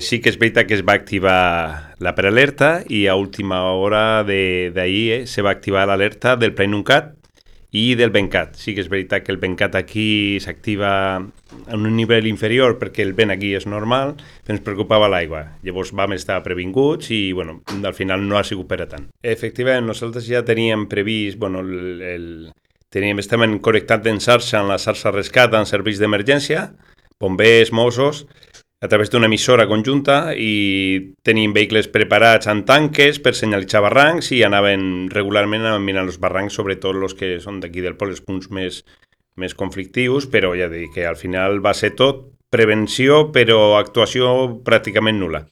Sí que és veritat que es va activar la prealerta i a última hora d'ahir se va activar l'alerta del PlaneUncat i del Bencat. Sí que és veritat que el Bencat aquí s'activa en un nivell inferior perquè el vent aquí és normal, però ens preocupava l'aigua. Llavors vam estar previnguts i bueno, al final no ha sigut per a tant. Efectivament, nosaltres ja teníem previst, bueno, estàvem connectats en xarxa, en la xarxa rescat, en serveis d'emergència, bombers, Mossos, a través d'una emissora conjunta i tenim vehicles preparats en tanques per senyalitzar barrancs i anaven regularment mirant els barrancs, sobretot els que són d'aquí del poble, els punts més conflictius, però ja dic que al final va ser tot prevenció, però actuació pràcticament nul·la.